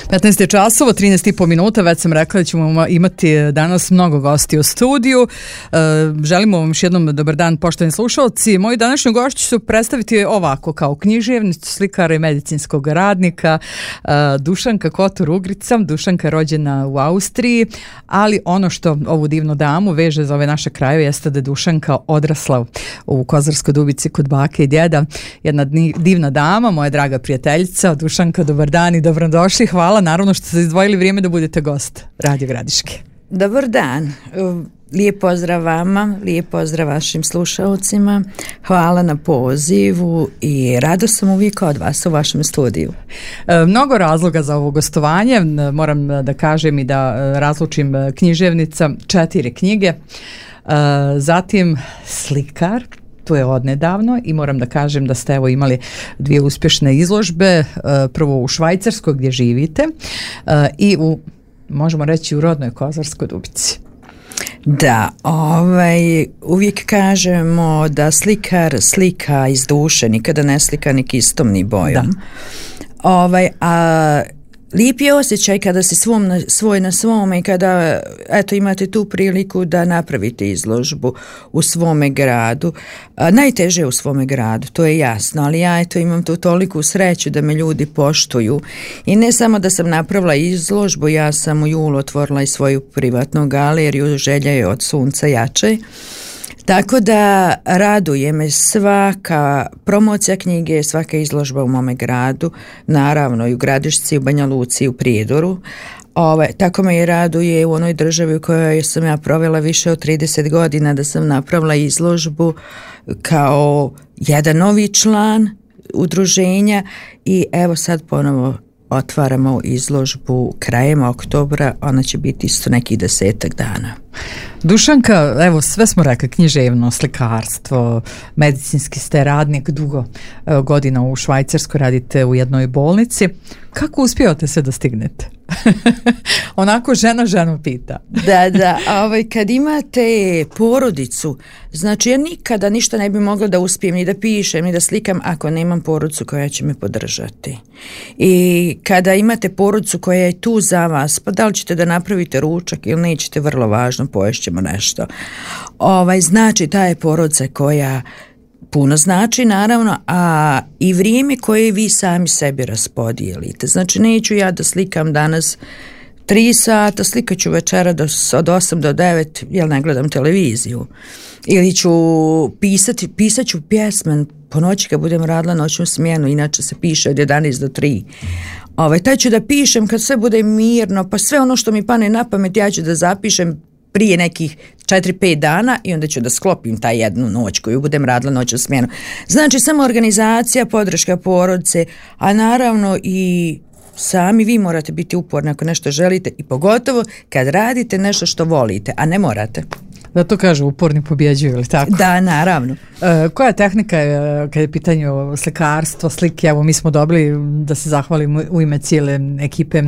15 časova, 13,5 minuta, već sam rekla da ćemo imati danas mnogo gosti u studiju. Želimo vam još jednom dobar dan, poštovani slušalci. Moji današnji gošći su predstaviti ovako, kao književnicu, slikara i medicinskog radnika, Dušanka Kotor-Ugrica. Dušanka je rođena u Austriji, ali ono što ovu divnu damu veže za ove naše krajeve jeste da je Dušanka odrasla u Kozarskoj Dubici kod bake i djeda. Jedna divna dama, moja draga prijateljica. Dušanka, dobar dan i dobrodošli. Hvala, naravno što ste izdvojili vrijeme da budete gost Radio Gradiške. Dobar dan. Lijep pozdrav vama, lijep pozdrav vašim slušalcima. Hvala na pozivu i rado sam uvijek od vas u vašem studiju. Mnogo razloga za ovo gostovanje. Moram da kažem i da razlučim književnica, 4 knjige. Zatim slikar, to je odnedavno i moram da kažem da ste evo imali 2 uspješne izložbe, prvo u Švajcarskoj gdje živite i u, možemo reći, u rodnoj Kozarskoj Dubici. Da, uvijek kažemo da slikar slika iz duše, nikada ne slika ni kistom ni bojom. A lijep je osjećaj kada si svoj na svome i kada imate tu priliku da napravite izložbu u svome gradu. Najteže je u svome gradu, to je jasno, ali ja imam tu toliku sreću da me ljudi poštuju. I ne samo da sam napravila izložbu, ja sam u julu otvorila i svoju privatnu galeriju, želja je od sunca jače. Tako da raduje me svaka promocija knjige, svaka izložba u mome gradu, naravno i u Gradišci, u Banja Luci, u Prijedoru. Tako me i raduje u onoj državi u kojoj sam ja provela više od 30 godina da sam napravila izložbu kao jedan novi član udruženja i evo sad ponovo otvaramo izložbu krajem oktobra, ona će biti isto neki 10 dana. Dušanka, evo sve smo rekli, književno, slikarstvo, medicinski ste radnik, dugo godina u Švajcarskoj, radite u jednoj bolnici. Kako uspijete se da stignete? Onako žena ženu pita. Da, kad imate porodicu, znači ja nikada ništa ne bi mogla da uspijem ni da pišem, ni da slikam ako nemam porodicu koja će me podržati. I kada imate porodicu koja je tu za vas, pa da li ćete da napravite ručak ili nećete, vrlo važno, poješćemo nešto. Znači ta je porodica koja puno znači, naravno, a i vrijeme koje vi sami sebi raspodijelite. Znači, neću ja da slikam danas 3 sata, slikat ću večera od 8 do 9, jer ne gledam televiziju. Ili ću pisat ću pjesme po noći kad budem radila noćnu smjenu, inače se piše od 11 do 3. Taj ću da pišem kad sve bude mirno, pa sve ono što mi pane na pamet ja ću da zapišem prije nekih 4-5 dana i onda ću da sklopim taj jednu noć koju budem radila noćnu smjenu. Znači samo organizacija, podrška porodice, a naravno i sami vi morate biti uporni ako nešto želite i pogotovo kad radite nešto što volite, a ne morate. Da to kažu, uporni pobjeđuju, ili tako? Da, naravno. Koja tehnika je, kada je pitanje slikarstvo, slike? Evo, mi smo dobili, da se zahvalimo u ime cijele ekipe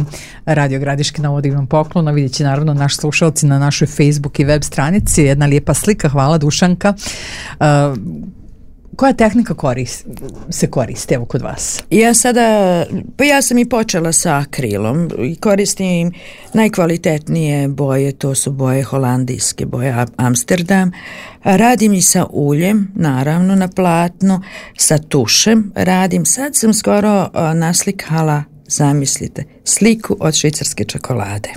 Radio Gradiške na ovo divnom poklonu. Vidjet će naravno naši slušalci na našoj Facebook i web stranici. Jedna lijepa slika, hvala Dušanka. Koja tehnika se koristi evo kod vas? Ja sam i počela sa akrilom i koristim najkvalitetnije boje, to su boje holandijske, boje Amsterdam. Radim i sa uljem, naravno na platnu, sa tušem radim. Sad sam skoro naslikala, zamislite, sliku od švicarske čokolade.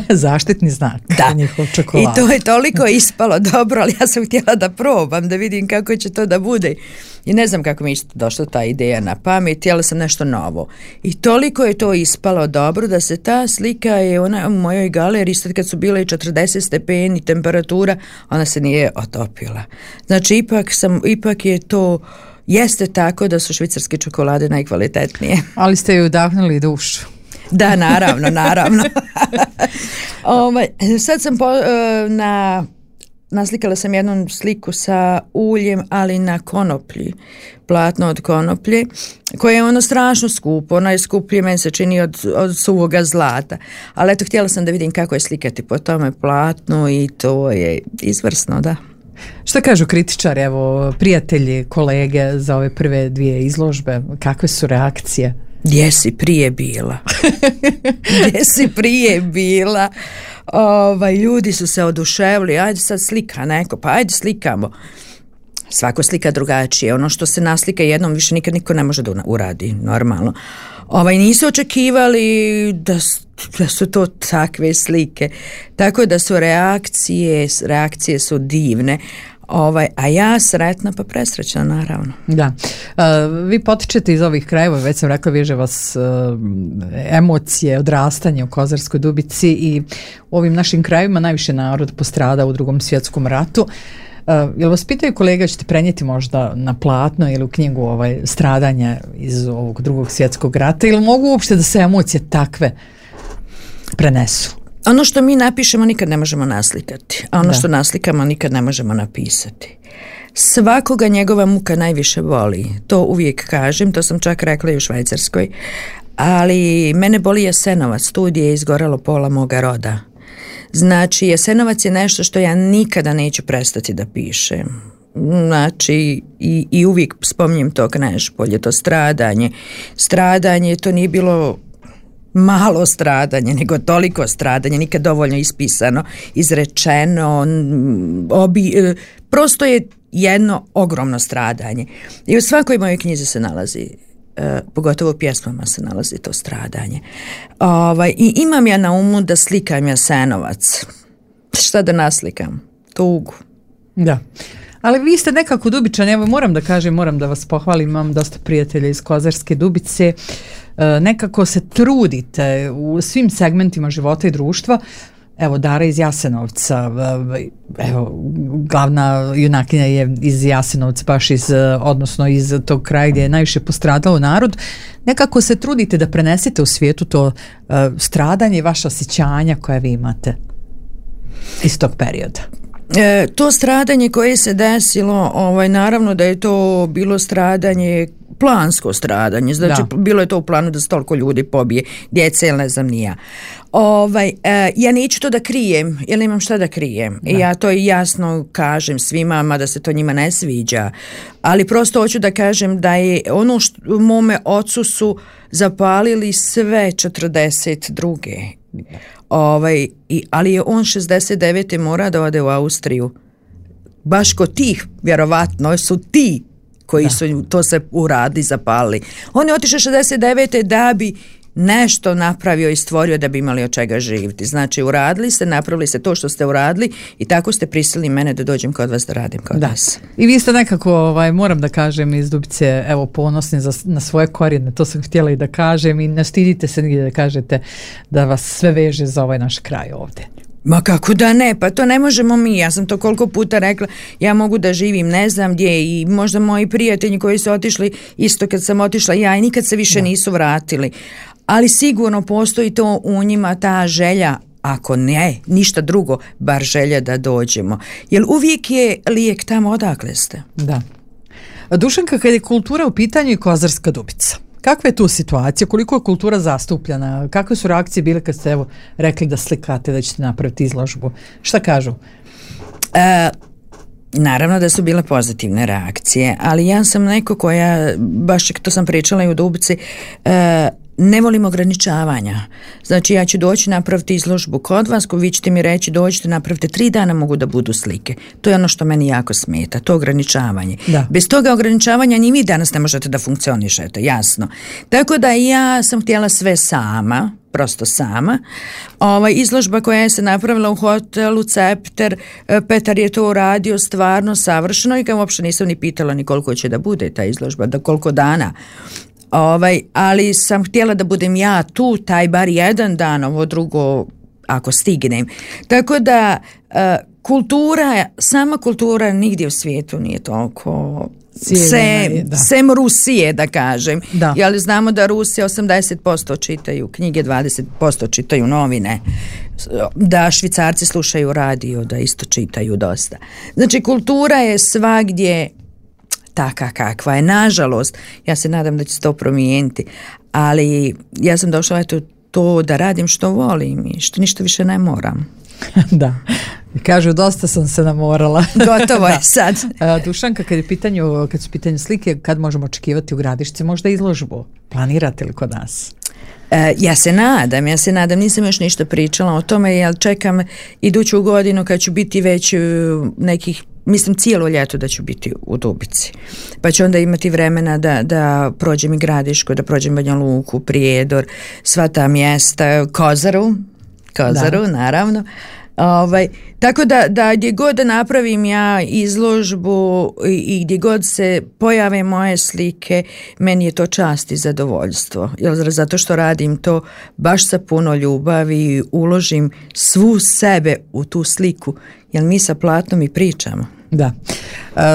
Zaštitni znak. Da, i to je toliko ispalo dobro, ali ja sam htjela da probam, da vidim kako će to da bude. I ne znam kako mi je došla ta ideja na pamet, htjela sam nešto novo. I toliko je to ispalo dobro da se ta slika je ona u mojoj galeriji, sad kad su bile i 40 stepeni temperatura, ona se nije otopila. Znači ipak je to, jeste tako da su švicarske čokolade najkvalitetnije. Ali ste ju udahnuli dušu. Da, naravno. Sad sam naslikala sam jednu sliku sa uljem, ali na konoplji, platno od konoplje, koje je ono strašno skupo, ono je skuplje, meni se čini od suvoga zlata, ali eto, htjela sam da vidim kako je slikati po tome platnu i to je izvrsno, da. Šta kažu kritičari, evo, prijatelji, kolege za ove prve 2 izložbe, kakve su reakcije? Gdje si prije bila? Gdje si prije bila? Ljudi su se oduševili, ajde sad slika neko, pa ajde slikamo. Svako slika drugačije. Ono što se naslika jednom više nikad niko ne može da uradi, normalno. Nisu očekivali da su to takve slike. Tako da su reakcije su divne. A ja sretna pa presrećna, naravno. Da. Vi potičete iz ovih krajeva, već sam rekla, veže vas emocije, odrastanje u Kozarskoj Dubici i u ovim našim krajevima najviše narod postrada u Drugom svjetskom ratu. Jel vas pitaju kolega, ćete prenijeti možda na platno ili u knjigu stradanja iz ovog Drugog svjetskog rata, ili mogu uopšte da se emocije takve prenesu? Ono što mi napišemo nikad ne možemo naslikati, a ono što naslikamo nikad ne možemo napisati. Svakoga njegova muka najviše boli, to uvijek kažem, to sam čak rekla i u Švajcarskoj, ali mene boli Jasenovac, tu gdje je izgoralo pola moga roda. Znači, Jasenovac je nešto što ja nikada neću prestati da pišem. Znači, i uvijek spominjem to Knežpolje, to stradanje, to nije bilo malo stradanje, nego toliko stradanje, nikad dovoljno ispisano, izrečeno, prosto je jedno ogromno stradanje. I u svakoj mojoj knjizi se nalazi, pogotovo u pjesmama se nalazi to stradanje. I imam ja na umu da slikam Jasenovac. Šta da naslikam? Tugu. Da. Ali vi ste nekako Dubičani, evo moram da kažem, moram da vas pohvalim, imam dosta prijatelja iz Kozarske Dubice, nekako se trudite u svim segmentima života i društva. Evo, Dara iz Jasenovca, evo, glavna junakinja je iz Jasenovca, baš odnosno iz tog kraja gdje je najviše postradao narod. Nekako se trudite da prenesete u svijetu to stradanje i vaša osjećanja koje vi imate iz tog perioda. To stradanje koje se desilo, naravno da je to bilo stradanje, plansko stradanje, znači bilo je to u planu da se toliko ljudi pobije, djece ili ne znam ni ja. Ja neću to da krijem, jer nemam šta da krijem. Ja to jasno kažem svima, mada se to njima ne sviđa, ali prosto hoću da kažem da je ono što mome ocu su zapalili sve 42. Ali je on 69. mora da ode u Austriju. Baš kod tih, vjerovatno su ti koji su to se uradili, zapalili. On je otišao 69. da bi nešto napravio i stvorio da bi imali od čega živjeti. Znači, uradili ste, napravili ste to što ste uradili i tako ste prisilili mene da dođem kod vas da radim kod vas. I vi ste nekako, moram da kažem, iz Dubice, evo, ponosni na svoje korijene, to sam htjela i da kažem i ne stidite se nigdje da kažete da vas sve veže za ovaj naš kraj ovdje. Ma kako da ne, pa to ne možemo mi, ja sam to koliko puta rekla, ja mogu da živim ne znam gdje i možda moji prijatelji koji su otišli isto kad sam otišla ja i nikad se više nisu vratili, ali sigurno postoji to u njima ta želja, ako ne, ništa drugo, bar želja da dođemo, jer uvijek je lijek tamo odakle ste. Da. Dušanka, kad je kultura u pitanju i Kozarska Dubica, kakva je tu situacija? Koliko je kultura zastupljena? Kakve su reakcije bile kad ste evo rekli da slikate, da ćete napraviti izložbu? Šta kažu? Naravno da su bile pozitivne reakcije, ali ja sam neko koja, baš to sam pričala i u Dubici, ne volim ograničavanja. Znači ja ću doći napraviti izložbu kod vas, vi ćete mi reći dođite napravite 3 dana mogu da budu slike. To je ono što meni jako smeta, to ograničavanje. Da. Bez toga ograničavanja ni vi danas ne možete da funkcionišete, jasno. Tako da ja sam htjela sve sama, prosto sama. Izložba koja je se napravila u hotelu Cepter, Petar je to uradio stvarno savršeno i ga uopšte nisam ni pitala ni koliko će da bude ta izložba, da koliko dana. Ali sam htjela da budem ja tu taj bar jedan dan, ovo drugo ako stignem. Tako da sama kultura nigdje u svijetu nije toliko sem Rusije, da kažem. Da. Jer znamo da Rusija 80% čitaju knjige, 20% čitaju novine, da Švicarci slušaju radio, da isto čitaju dosta. Znači kultura je svagdje taka kakva je, nažalost. Ja se nadam da će se to promijeniti, ali ja sam došla to da radim što volim i što ništa više ne moram. Da. Kažu, dosta sam se namorala. Gotovo je sad. Dušanka, kad su pitanje slike, kad možemo očekivati u Gradišci možda izložbu? Planirate li kod nas? Ja se nadam, nisam još ništa pričala o tome, jer čekam iduću godinu kad ću biti već nekih, mislim cijelo ljeto da ću biti u Dubici. Pa ću onda imati vremena da prođem i Gradišku, da prođem Banja Luku, Prijedor, sva ta mjesta, Kozaru, naravno. Tako da gdje god da napravim ja izložbu i gdje god se pojave moje slike, meni je to čast i zadovoljstvo, zato što radim to baš sa puno ljubavi i uložim svu sebe u tu sliku, jer mi sa platnom i pričamo. Da.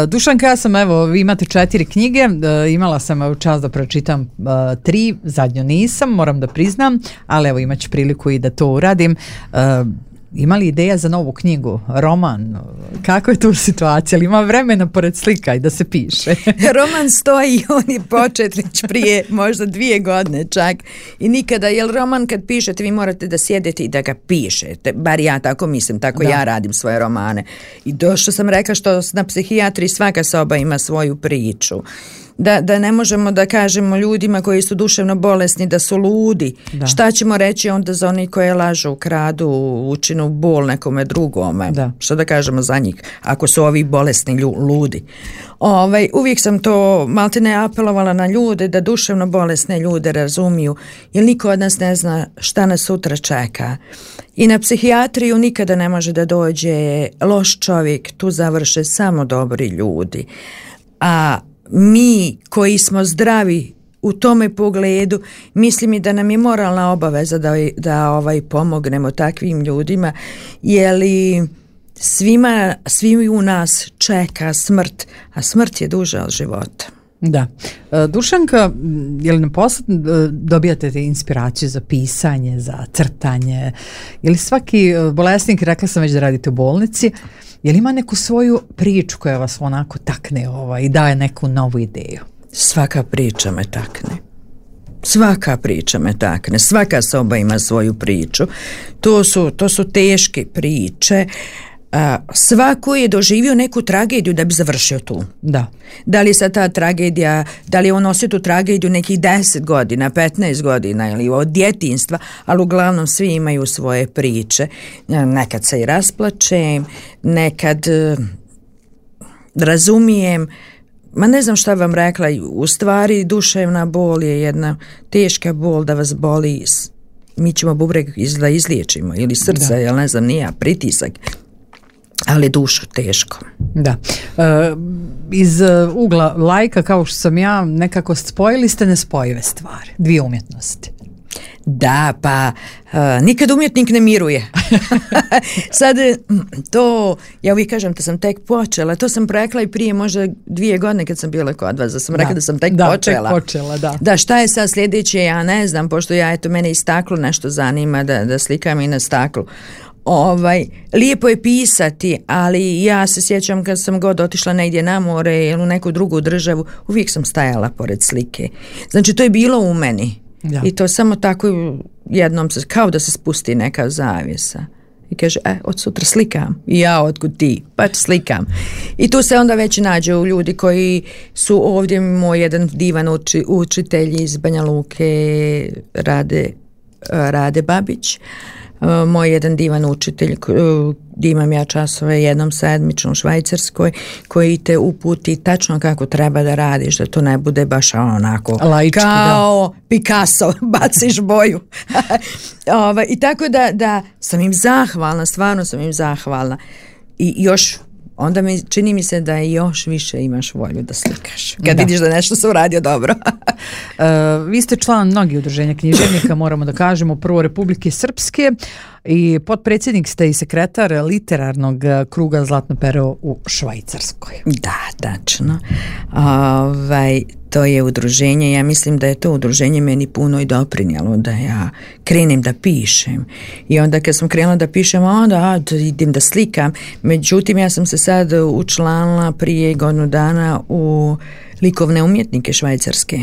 Dušanka, ja sam, vi imate 4 knjige, imala sam čast da pročitam 3, zadnju nisam, moram da priznam, ali imat ću priliku i da to uradim. Ima li ideja za novu knjigu, roman? Kako je tu situacija? Ali ima vremena pored slika i da se piše? Roman stoji, on je počet već prije možda 2 godine čak i nikada, jer roman kad pišete vi morate da sjedete i da ga pišete, bar ja tako mislim, tako ja radim svoje romane. I došlo sam rekla što na psihijatriji svaka soba ima svoju priču. Da ne možemo da kažemo ljudima koji su duševno bolesni da su ludi. Da. Šta ćemo reći onda za oni koje lažu, kradu, učinu bol nekome drugome? Da. Šta da kažemo za njih ako su ovi bolesni ludi? Uvijek sam to maltene apelovala na ljude da duševno bolesne ljude razumiju, jer niko od nas ne zna šta nas sutra čeka. I na psihijatriju nikada ne može da dođe loš čovjek, tu završe samo dobri ljudi. A mi koji smo zdravi u tome pogledu, mislim i da nam je moralna obaveza da pomognemo takvim ljudima, jer svi u nas čeka smrt, a smrt je duža od života. Da. Dušanka, je li na poslu dobijate inspiraciju za pisanje, za crtanje? Je li svaki bolesnik, rekla sam već da radite u bolnici, je li ima neku svoju priču koja vas onako takne i daje neku novu ideju? Svaka priča me takne. Svaka soba ima svoju priču. To su teške priče. Svako je doživio neku tragediju da bi završio tu. Da li je sad ta tragedija, da li je on nosio tu tragediju nekih 10 godina, 15 godina ili od djetinjstva, ali uglavnom svi imaju svoje priče. Nekad se i rasplačem, nekad razumijem, ne znam šta vam rekla, u stvari duševna bol je jedna teška bol da vas boli, mi ćemo bubreg da izliječimo ili srce, jel ne znam, nije pritisak. Ali dušu teško. Da. Iz ugla lajka, kao što sam ja, nekako spojili ste nespojive stvari, 2 umjetnosti. Da, pa nikad umjetnik ne miruje. Sad to, ja uvijek kažem da sam tek počela, to sam rekla i prije možda 2 godine kad sam bila kod vas, da sam rekla da sam tek počela. Da, šta je sad sljedeće, ja ne znam, pošto mene i staklo nešto zanima, da slikam i na staklu. Lijepo je pisati, ali ja se sjećam kad sam god otišla negdje na more ili u neku drugu državu, uvijek sam stajala pored slike. Znači to je bilo u meni. Da. I to samo tako jednom kao da se spusti neka zavjesa i kaže, od sutra slikam. I ja, otkud ti? Pa slikam. I tu se onda već nađe u ljudi koji su ovdje, moj jedan divan učitelj iz Banja Luke, Rade Babić, moj jedan divan učitelj gdje imam ja časove jednom sedmično u Švajcarskoj, koji te uputi tačno kako treba da radiš, da to ne bude baš onako laički, kao Picasso, baciš boju. I tako da sam im zahvalna, stvarno sam im zahvalna. I još onda čini mi se da još više imaš volju da slikaš kad vidiš da nešto se uradio dobro. Vi ste član mnogih udruženja književnika, moramo da kažemo, prvo Republike Srpske i potpredsjednik ste i sekretar literarnog kruga Zlatno pero u Švajcarskoj. Da, tačno. To je udruženje, ja mislim da je to udruženje meni puno i doprinijelo da ja krenem da pišem. I onda kad sam krenula da pišem, onda idem da slikam. Međutim, ja sam se sad učlanila prije 1 godinu dana u likovne umjetnike švajcarske.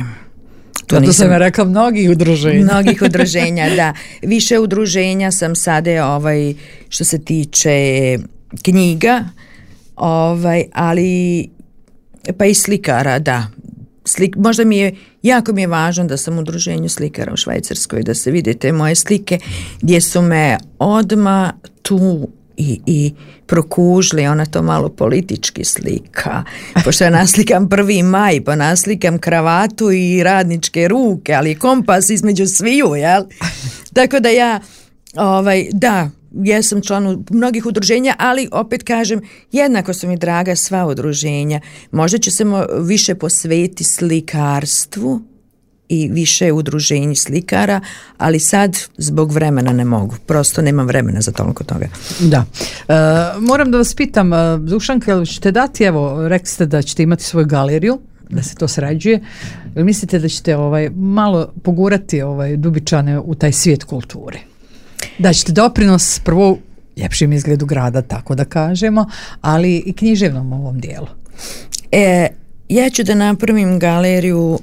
To sam ja rekla mnogih udruženja. Mnogih udruženja, da. Više udruženja sam sada što se tiče knjiga, ali pa i slikara, da. Možda jako mi je važno da sam u udruženju slikara u Švajcarskoj, da se vide te moje slike gdje su me odmah tu i prokužili, ona to malo politički slika, pošto ja naslikam 1. maj, pa naslikam kravatu i radničke ruke, ali kompas između sviju, jel? Tako da ja, ja sam član mnogih udruženja, ali opet kažem, jednako su mi draga sva udruženja. Možda će se više posvetiti slikarstvu i više udruženji slikara, ali sad zbog vremena ne mogu. Prosto nemam vremena za toliko toga. Da. Moram da vas pitam, Dušanka, jel ćete dati, evo, rekli ste da ćete imati svoju galeriju, da se to sređuje. Jel mislite da ćete malo pogurati Dubičane u taj svijet kulture? Da ćete doprinos prvo ljepšim izgledu grada, tako da kažemo, ali i književnom ovom dijelu. Ja ću da napravim galeriju,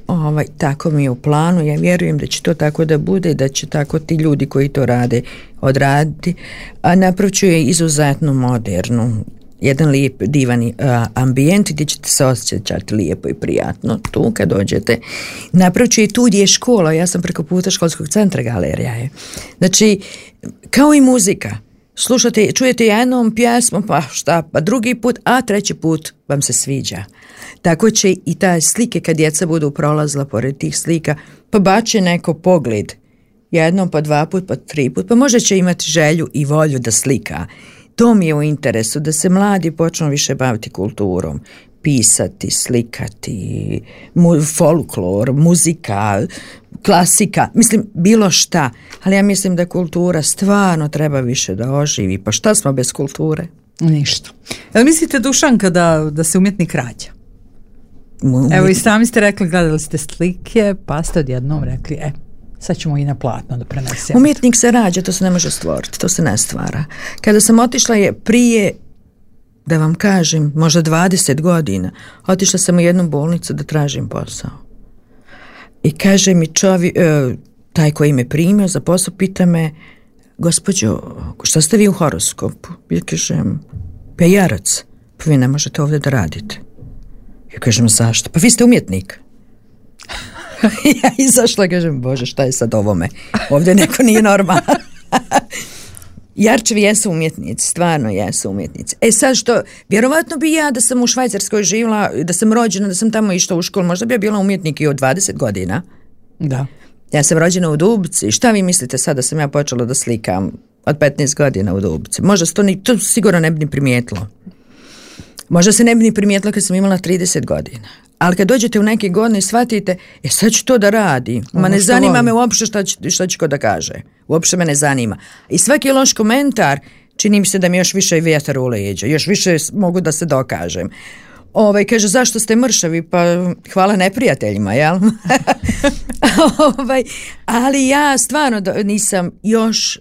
tako mi je u planu, ja vjerujem da će to tako da bude, da će tako ti ljudi koji to rade odraditi, a napravit ću je izuzetno modernu, jedan lijep, divan ambijent gdje ćete se osjećati lijepo i prijatno tu kad dođete. Napravit ću je tu gdje je škola, ja sam preko puta školskog centra, galerija je. Znači, kao i muzika, čujete jednom pjesmu, pa drugi put, a treći put vam se sviđa. Tako će i ta slike kad djeca budu prolazila pored tih slika, pa bače neko pogled, jednom, pa 2 put, pa 3 put, pa možda će imati želju i volju da slika. To mi je u interesu, da se mladi počnu više baviti kulturom, pisati, slikati, folklor, muzika, klasika, mislim bilo šta, ali ja mislim da kultura stvarno treba više da oživi, pa šta smo bez kulture? Ništa. Jel mislite, Dušanka, da se umjetnik rađa? Evo i sami ste rekli, gledali ste slike, pa ste odjednom rekli, sad ćemo i na platno da prenesemo. Umjetnik se rađa, to se ne može stvoriti, to se ne stvara. Kada sam otišla je prije, da vam kažem, možda 20 godina, otišla sam u jednu bolnicu da tražim posao. I kaže mi taj koji me primio za posao, pita me, gospođo, šta ste vi u horoskopu? Ja kažem, pa jarac, pa vi ne možete ovdje da radite. Ja kažem, zašto? Pa vi ste umjetnik. Ja izašla, kažem, Bože, šta je sad ovome? Ovdje neko nije normalan. Jarčevi jesu umjetnici, stvarno jesu umjetnici. Sad što, vjerovatno bi ja da sam u Švajcarskoj živjela, da sam rođena, da sam tamo išla u školu, možda bi ja bila umjetnik i od 20 godina. Da. Ja sam rođena u Dubci. Šta vi mislite sad da sam ja počela da slikam od 15 godina u Dubci? Možda to sigurno ne bi ni primijetilo. Možda se ne bi ni primijetilo kad sam imala 30 godina. Ali kad dođete u neke godine i shvatite, sad ću to da radi. Ma ne zanima me uopšte šta će ko da kaže. Uopšte me ne zanima. I svaki loš komentar čini mi se da mi još više vjetar u leđa. Još više mogu da se dokažem. Kaže, zašto ste mršavi? Pa hvala neprijateljima, jel? Ali ja stvarno nisam još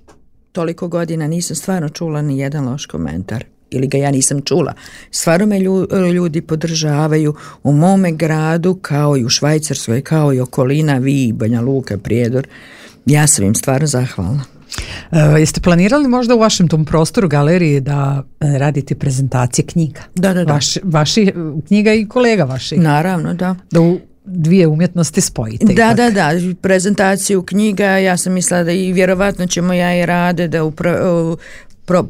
toliko godina nisam stvarno čula ni jedan loš komentar. Ili ga ja nisam čula. Stvarno me ljudi podržavaju u mome gradu, kao i u Švajcarskoj, kao i okolina, vi, Banja Luka, Prijedor. Ja sam im stvarno zahvalna. Jeste planirali možda u vašem tom prostoru galerije da radite prezentacije knjiga? Da. Vaši knjiga i kolega vaši? Naravno, da. Da u dvije umjetnosti spojite. Da, prezentaciju knjiga, ja sam mislila da i vjerovatno ćemo ja i Rade da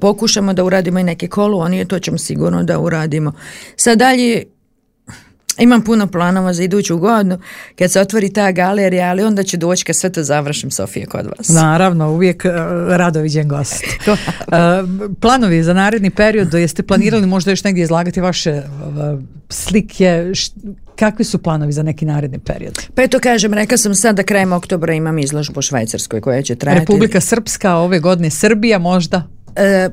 pokušamo da uradimo i neke kolonije, to ćemo sigurno da uradimo. Sad dalje imam puno planova za iduću godinu kad se otvori ta galerija, ali onda će doći kad sve to završim, Sofija, kod vas. Naravno, uvijek rado viđen gost. Planovi za naredni period, jeste planirali možda još negdje izlagati vaše slike, kakvi su planovi za neki naredni period? Pa eto kažem, rekla sam sad da krajem oktobra imam izložbu u Švajcarskoj koja će trajati. Republika Srpska ove godine, Srbija možda?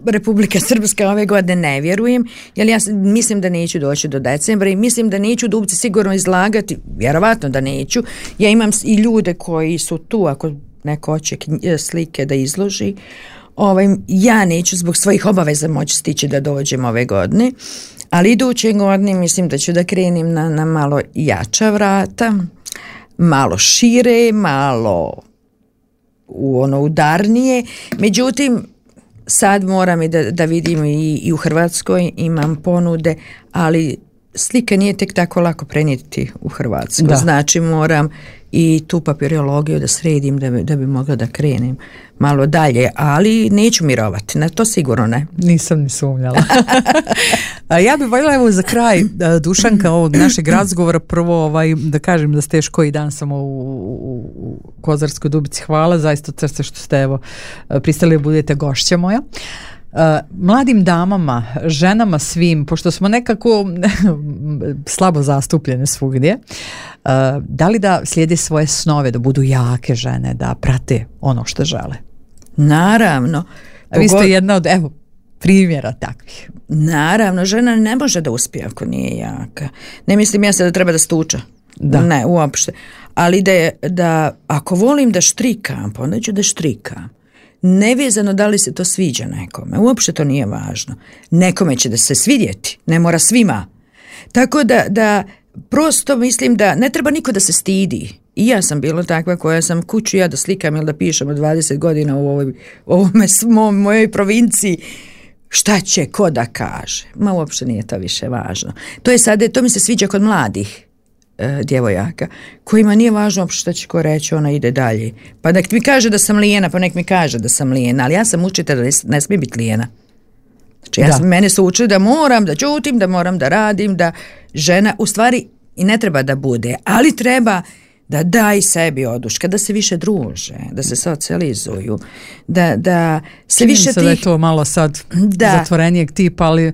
Republika Srpska ove godine ne vjerujem, jer ja mislim da neću doći do decembra i mislim da neću Dubci sigurno izlagati, vjerovatno da neću. Ja imam i ljude koji su tu, ako neko hoće slike da izloži, ja neću zbog svojih obaveza moći stići da dođem ove godine, ali iduće godine mislim da ću da krenim na malo jača vrata. malo šire, malo udarnije. Međutim, sad moram i da vidim i u Hrvatskoj imam ponude, ali slika nije tek tako lako prenijeti u Hrvatsku. Znači moram i tu papirologiju da sredim da bi mogla da krenem malo dalje, ali neću mirovati, na to sigurno ne. Nisam ni sumnjala. Ja bih voljela evo za kraj, Dušanka, ovog našeg razgovora, prvo da kažem da ste još koji dan samo u Kozarskoj Dubici. Hvala zaista od srca što ste pristali da budete gošća moja. Mladim damama, ženama, svim, pošto smo nekako slabo zastupljene svugdje, da li da slijede svoje snove, da budu jake žene, da prate ono što žele? Naravno. Vi ste jedna od, primjera takvih. Naravno, žena ne može da uspije ako nije jaka. Ne mislim ja se da treba da stuča. Ne, uopšte. Ali da ako volim da štrikam, pa onda ću da štrikam. Nevezano da li se to sviđa nekome. Uopšte to nije važno. Nekome će da se svidjeti. Ne mora svima. Tako da prosto mislim da ne treba niko da se stidi. I ja sam bila takva koja sam kuću ja da slikam ili da pišem od 20 godina u mojoj provinciji. Šta će ko da kaže? Ma uopšte nije to više važno. To mi se sviđa kod mladih djevojaka, kojima nije važno uopšte šta će ko reći, ona ide dalje. Pa nek mi kaže da sam lijena, pa nek mi kaže da sam lijena, ali ja sam učitelj da ne smije biti lijena. Znači, mene su učili da moram da ćutim, da moram da radim, da žena, u stvari i ne treba da bude, ali treba da daj sebi oduška, da se više druže, da se socijalizuju, da se čini više se da je to malo sad zatvorenijeg tipa, ali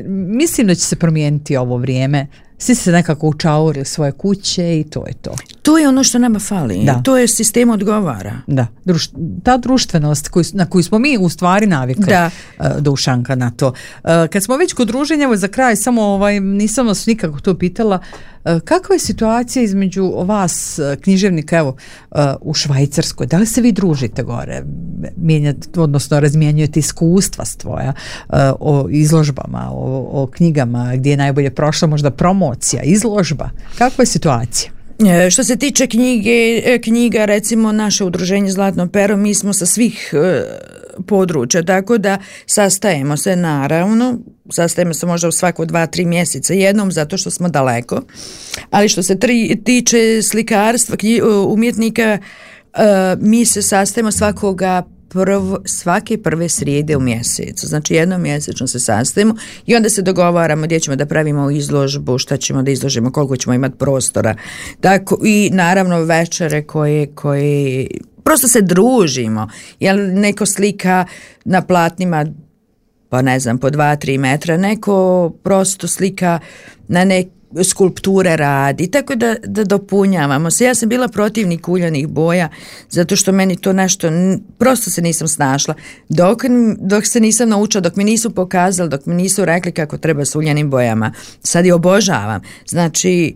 mislim da će se promijeniti ovo vrijeme. Svi se nekako učauri u svoje kuće i to je to. To je ono što nama fali. To je sistem odgovara. Da. Ta društvenost na koju smo mi u stvari navikli, Dušanka, na to. Kad smo već kod druženja, za kraj samo nisam vas nikako to pitala, kakva je situacija između vas, književnika, evo, u Švajcarskoj? Da li se vi družite gore? Odnosno razmjenjujete iskustva svoja o izložbama, o knjigama, gdje je najbolje prošla možda promocija, izložba? Kakva je situacija? Što se tiče knjiga, recimo naše udruženje Zlatno pero, mi smo sa svih područja, tako da sastajemo se naravno, sastajemo se možda u svako 2-3 mjeseca jednom, zato što smo daleko, ali što se tiče slikarstva, umjetnika, mi se sastajemo svake prve srijede u mjesecu, znači jednom mjesečno se sastajemo i onda se dogovaramo gdje ćemo da pravimo izložbu, šta ćemo da izložimo, koliko ćemo imati prostora, tako, i naravno večere koje prosto se družimo, jer neko slika na platnima pa ne znam, po 2-3 metra, neko prosto slika na skulpture radi, tako da dopunjavamo se. Ja sam bila protivnik uljanih boja, zato što meni to nešto, prosto se nisam snašla. Dok se nisam naučila, dok mi nisu pokazali, dok mi nisu rekli kako treba s uljanim bojama. Sad je obožavam. Znači,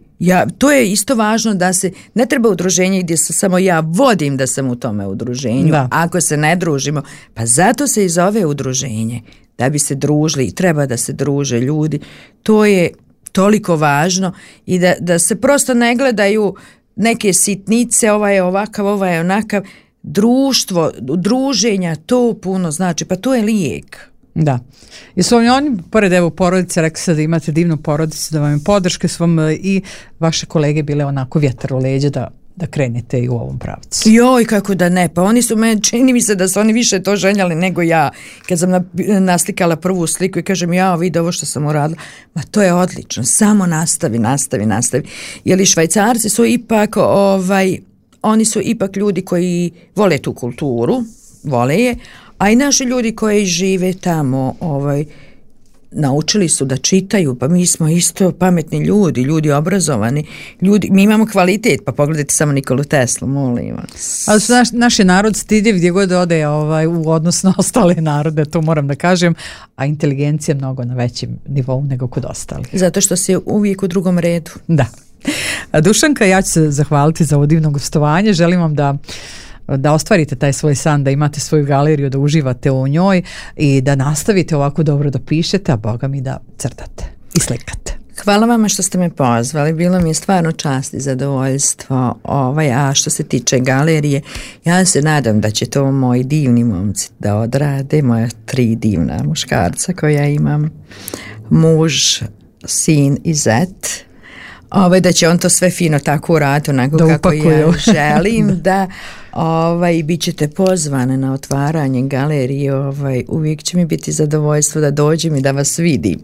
to je isto važno da se, ne treba udruženje gdje se samo ja vodim da sam u tome udruženju. Da. Ako se ne družimo, pa zato se i zove udruženje. Da bi se družili i treba da se druže ljudi. To je toliko važno i da se prosto ne gledaju neke sitnice, ovaj je ovakav, ovaj je onakav. Društvo, druženja, to puno znači, pa to je lijek. Da. Jesu vam oni, pored evo porodice, rekli ste da imate divnu porodicu, da vam je podrške, su vam i vaše kolege bile onako vjetar u leđa da krenete i u ovom pravcu? Joj, kako da ne, pa oni su čini mi se da su oni više to željeli nego ja. Kad sam naslikala prvu sliku i kažem, vidi ovo što sam uradila, ma to je odlično, samo nastavi. Jer i Švajcarci su ipak, oni su ipak ljudi koji vole tu kulturu, vole je, a i naši ljudi koji žive tamo, naučili su da čitaju, pa mi smo isto pametni ljudi obrazovani, mi imamo kvalitet, pa pogledajte samo Nikolu Teslu, molim vas. Ali su naš je narod stidljiv gdje god ode u odnosu na ostale narode, to moram da kažem, a inteligencija je mnogo na većem nivou nego kod ostalih. Zato što si uvijek u drugom redu. Da. Dušanka, ja ću se zahvaliti za ovo divno gostovanje, želim vam da ostvarite taj svoj san, da imate svoju galeriju, da uživate u njoj i da nastavite ovako dobro da pišete, a Boga mi da crtate i slikate. Hvala vama što ste me pozvali, bilo mi je stvarno čast i zadovoljstvo. A što se tiče galerije, ja se nadam da će to moji divni momci da odrade, moja 3 divna muškarca koja imam, muž, sin i zet. Da će on to sve fino tako uraditi onako kako ja želim, da bit ćete pozvane na otvaranje galerije, uvijek će mi biti zadovoljstvo da dođem i da vas vidim.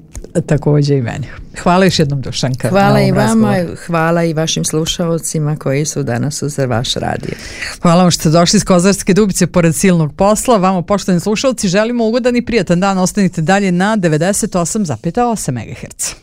Također i meni. Hvala još jednom, Dušanka. Hvala i vama, hvala i vašim slušalcima koji su danas uz vaš radio. Hvala vam što ste došli iz Kozarske Dubice pored silnog posla. Vama, poštovani slušalci, želimo ugodan i prijatan dan. Ostanite dalje na 98,8 MHz.